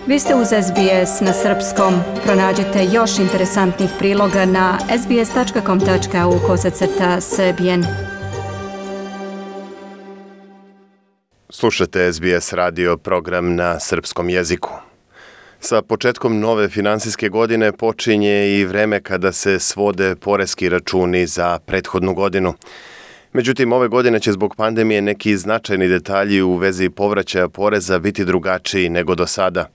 Vi ste uz SBS na srpskom. Pronađite još interesantnih priloga na sbs.com.au/srbijen. Slušate SBS radio program na srpskom jeziku. Sa početkom nove finansijske godine počinje i vreme kada se svode poreski računi za prethodnu godinu. Međutim, ove godine će zbog pandemije neki značajni detalji u vezi povraćaja poreza biti drugačiji nego do sada.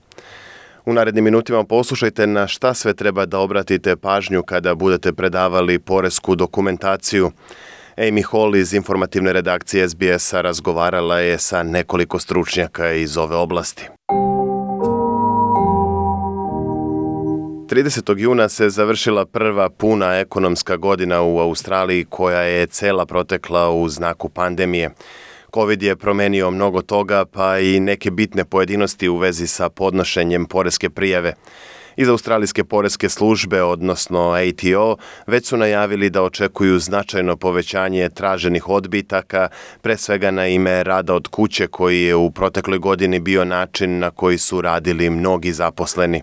U narednim minutima poslušajte na šta sve treba da obratite pažnju kada budete predavali poresku dokumentaciju. Amy Hall iz informativne redakcije SBS-a razgovarala je sa nekoliko stručnjaka iz ove oblasti. 30. juna se završila prva puna ekonomska godina u Australiji koja je cela protekla u znaku pandemije. Covid je promenio mnogo toga, pa i neke bitne pojedinosti u vezi sa podnošenjem poreske prijave. Iz Australijske poreske službe, odnosno ATO, već su najavili da očekuju značajno povećanje traženih odbitaka, pre svega na ime rada od kuće koji je u protekloj godini bio način na koji su radili mnogi zaposleni.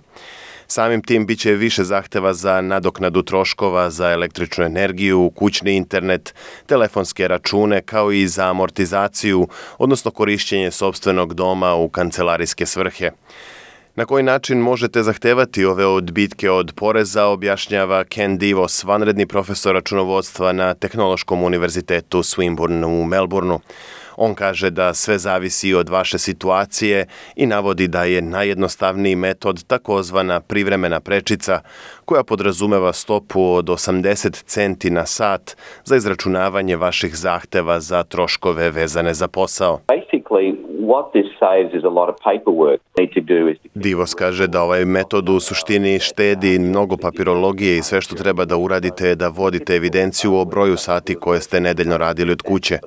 Samim tim biće više zahteva za nadoknadu troškova za električnu energiju, kućni internet, telefonske račune kao i za amortizaciju, odnosno korišćenje sopstvenog doma u kancelarijske svrhe. Na koji način možete zahtevati ove odbitke od poreza, objašnjava Ken Divos, vanredni profesor računovodstva na Tehnološkom univerzitetu Swinburne u Melbourneu. On kaže da sve zavisi od vaše situacije i navodi da je najjednostavniji metod takozvana privremena prečica, koja podrazumeva stopu od 80 centi na sat za izračunavanje vaših zahteva za troškove vezane za posao. Divos kaže da ovaj metod u suštini štedi mnogo papirologije i sve što treba da uradite je da vodite evidenciju o broju sati koje ste nedeljno radili od kuće.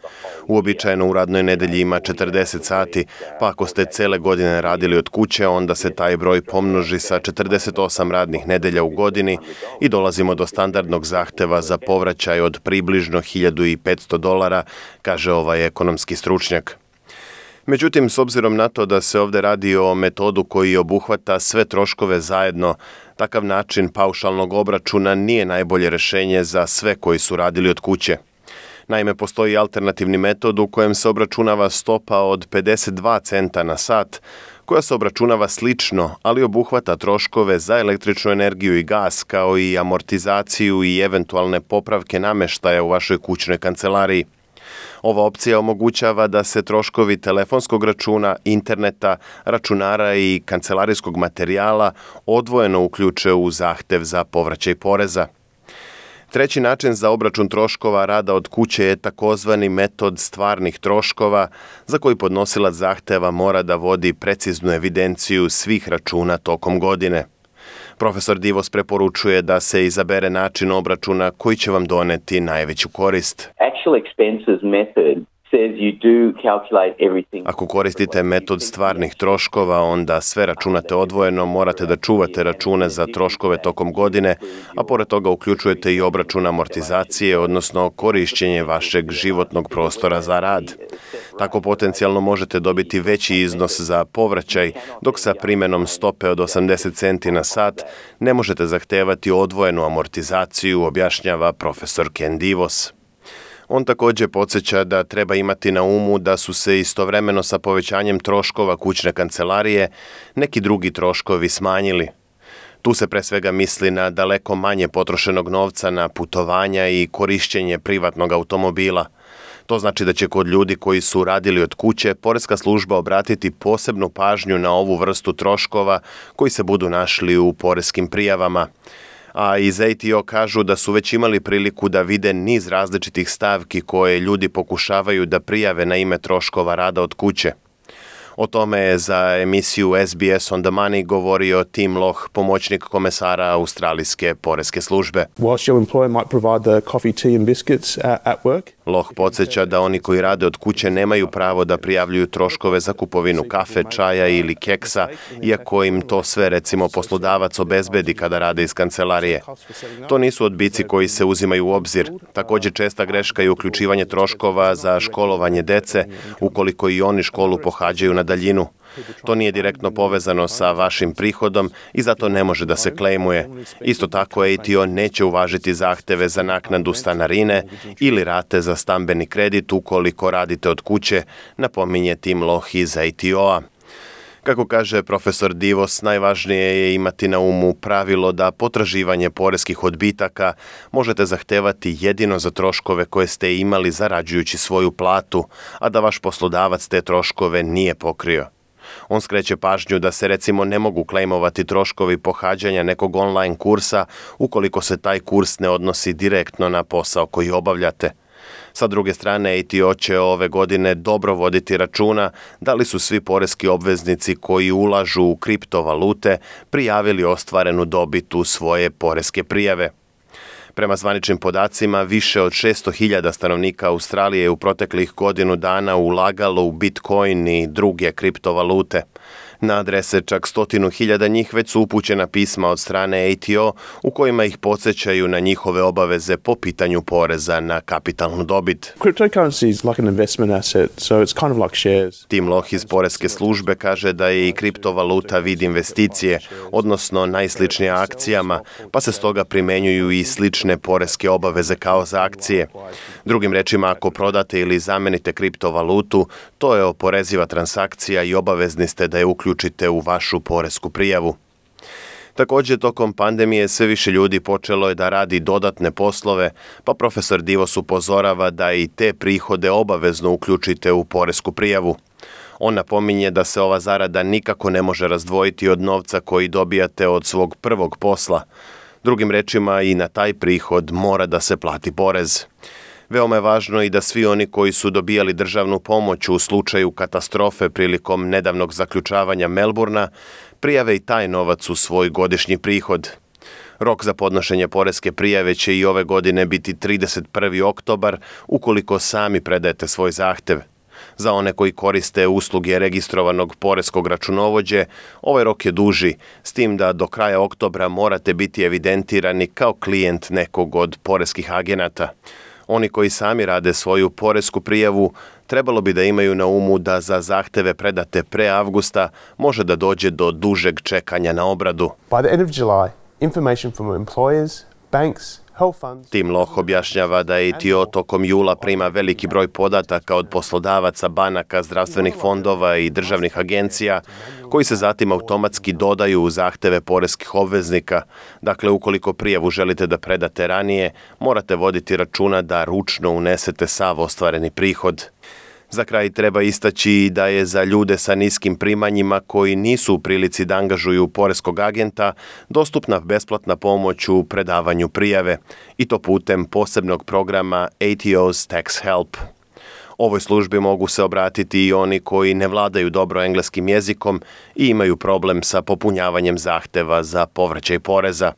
Uobičajeno u radnoj nedelji ima 40 sati, pa ako ste cele godine radili od kuće, onda se taj broj pomnoži sa 48 radnih nedelja u godini i dolazimo do standardnog zahteva za povraćaj od približno $1.500, kaže ovaj ekonomski stručnjak. Međutim, s obzirom na to da se ovdje radi o metodu koji obuhvata sve troškove zajedno, takav način paušalnog obračuna nije najbolje rješenje za sve koji su radili od kuće. Naime, postoji alternativni metod u kojem se obračunava stopa od 52 centa na sat, koja se obračunava slično, ali obuhvata troškove za električnu energiju i gas, kao i amortizaciju i eventualne popravke namještaja u vašoj kućnoj kancelariji. Ova opcija omogućava da se troškovi telefonskog računa, interneta, računara i kancelarijskog materijala odvojeno uključe u zahtev za povraćaj poreza. Treći način za obračun troškova rada od kuće je takozvani metod stvarnih troškova, za koji podnosilac zahteva mora da vodi preciznu evidenciju svih računa tokom godine. Profesor Divos preporučuje da se izabere način obračuna koji će vam doneti najveću korist. Ako koristite metod stvarnih troškova, onda sve računate odvojeno, morate da čuvate račune za troškove tokom godine, a pored toga uključujete i obračun amortizacije, odnosno korišćenje vašeg životnog prostora za rad. Tako potencijalno možete dobiti veći iznos za povraćaj, dok sa primjenom stope od 80 centi na sat ne možete zahtevati odvojenu amortizaciju, objašnjava profesor Ken Divos. On također podsjeća da treba imati na umu da su se istovremeno sa povećanjem troškova kućne kancelarije neki drugi troškovi smanjili. Tu se pre svega misli na daleko manje potrošenog novca na putovanja i korišćenje privatnog automobila. To znači da će kod ljudi koji su radili od kuće poreska služba obratiti posebnu pažnju na ovu vrstu troškova koji se budu našli u poreskim prijavama. A iz ATO kažu da su već imali priliku da vide niz različitih stavki koje ljudi pokušavaju da prijave na ime troškova rada od kuće. O tome je za emisiju SBS on the Money govorio Tim Loh, pomoćnik komesara Australijske poreske službe. Whilst your employer might provide the coffee, tea and biscuits at work, Loh podsjeća da oni koji rade od kuće nemaju pravo da prijavljuju troškove za kupovinu kafe, čaja ili keksa, iako im to sve recimo poslodavac obezbedi kada rade iz kancelarije. To nisu odbici koji se uzimaju u obzir. Također česta greška je uključivanje troškova za školovanje dece, ukoliko i oni školu pohađaju na daljinu. To nije direktno povezano sa vašim prihodom i zato ne može da se klejmuje. Isto tako ATO neće uvažiti zahteve za naknadu stanarine ili rate za stambeni kredit ukoliko radite od kuće, napominje Tim Loh iz ATO-a. Kako kaže profesor Divos, najvažnije je imati na umu pravilo da potraživanje poreskih odbitaka možete zahtevati jedino za troškove koje ste imali zarađujući svoju platu, a da vaš poslodavac te troškove nije pokrio. On skreće pažnju da se recimo ne mogu klejmovati troškovi pohađanja nekog online kursa ukoliko se taj kurs ne odnosi direktno na posao koji obavljate. Sa druge strane, ATO će ove godine dobro voditi računa da li su svi poreski obveznici koji ulažu u kriptovalute prijavili ostvarenu dobit u svoje poreske prijave. Prema zvaničnim podacima, više od 600.000 stanovnika Australije je u proteklih godinu dana ulagalo u Bitcoin i druge kriptovalute. Na adrese čak 100.000 njih već su upućena pisma od strane ATO u kojima ih podsjećaju na njihove obaveze po pitanju poreza na kapitalnu dobit. Cryptocurrency is like an investment asset, so it's kind of like shares. Tim Loh iz poreske službe kaže da je i kriptovaluta vid investicije, odnosno najsličnija akcijama, pa se stoga primenjuju i slične poreske obaveze kao za akcije. Drugim rečima, ako prodate ili zamenite kriptovalutu, to je oporeziva transakcija i obavezni ste da je uključite u vašu poresku prijavu. Također, tokom pandemije sve više ljudi počelo je da radi dodatne poslove, pa profesor Divos upozorava da i te prihode obavezno uključite u poresku prijavu. On napominje da se ova zarada nikako ne može razdvojiti od novca koji dobijate od svog prvog posla. Drugim rečima, i na taj prihod mora da se plati porez. Veoma je važno i da svi oni koji su dobijali državnu pomoć u slučaju katastrofe prilikom nedavnog zaključavanja Melbourna prijave i taj novac u svoj godišnji prihod. Rok za podnošenje poreske prijave će i ove godine biti 31. oktobar ukoliko sami predajete svoj zahtev. Za one koji koriste usluge registrovanog poreskog računovođe, ovaj rok je duži, s tim da do kraja oktobra morate biti evidentirani kao klijent nekog od poreskih agenata. Oni koji sami rade svoju poresku prijavu trebalo bi da imaju na umu da za zahteve predate pre avgusta može da dođe do dužeg čekanja na obradu. By the end of July, information from employers, banks, health funds... Tim Loh objašnjava da ATO tokom jula prima veliki broj podataka od poslodavaca, banaka, zdravstvenih fondova i državnih agencija, koji se zatim automatski dodaju u zahteve poreskih obveznika. Dakle, ukoliko prijavu želite da predate ranije, morate voditi računa da ručno unesete sav ostvareni prihod. Za kraj treba istaći da je za ljude sa niskim primanjima koji nisu u prilici da angažuju poreskog agenta dostupna besplatna pomoć u predavanju prijave, i to putem posebnog programa ATO's Tax Help. Ovoj službi mogu se obratiti i oni koji ne vladaju dobro engleskim jezikom i imaju problem sa popunjavanjem zahteva za povraćaj poreza.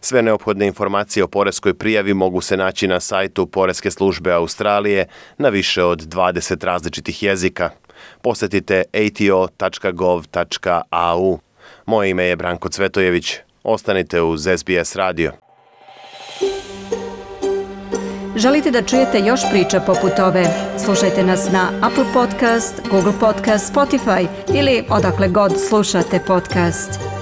Sve neophodne informacije o poreskoj prijavi mogu se naći na sajtu Poreske službe Australije na više od 20 različitih jezika. Posjetite ato.gov.au. Moje ime je Branko Cvetojević. Ostanite uz SBS radio. Želite da čujete još priča poput ove? Slušajte nas na Apple Podcast, Google Podcast, Spotify ili odakle god slušate podcast.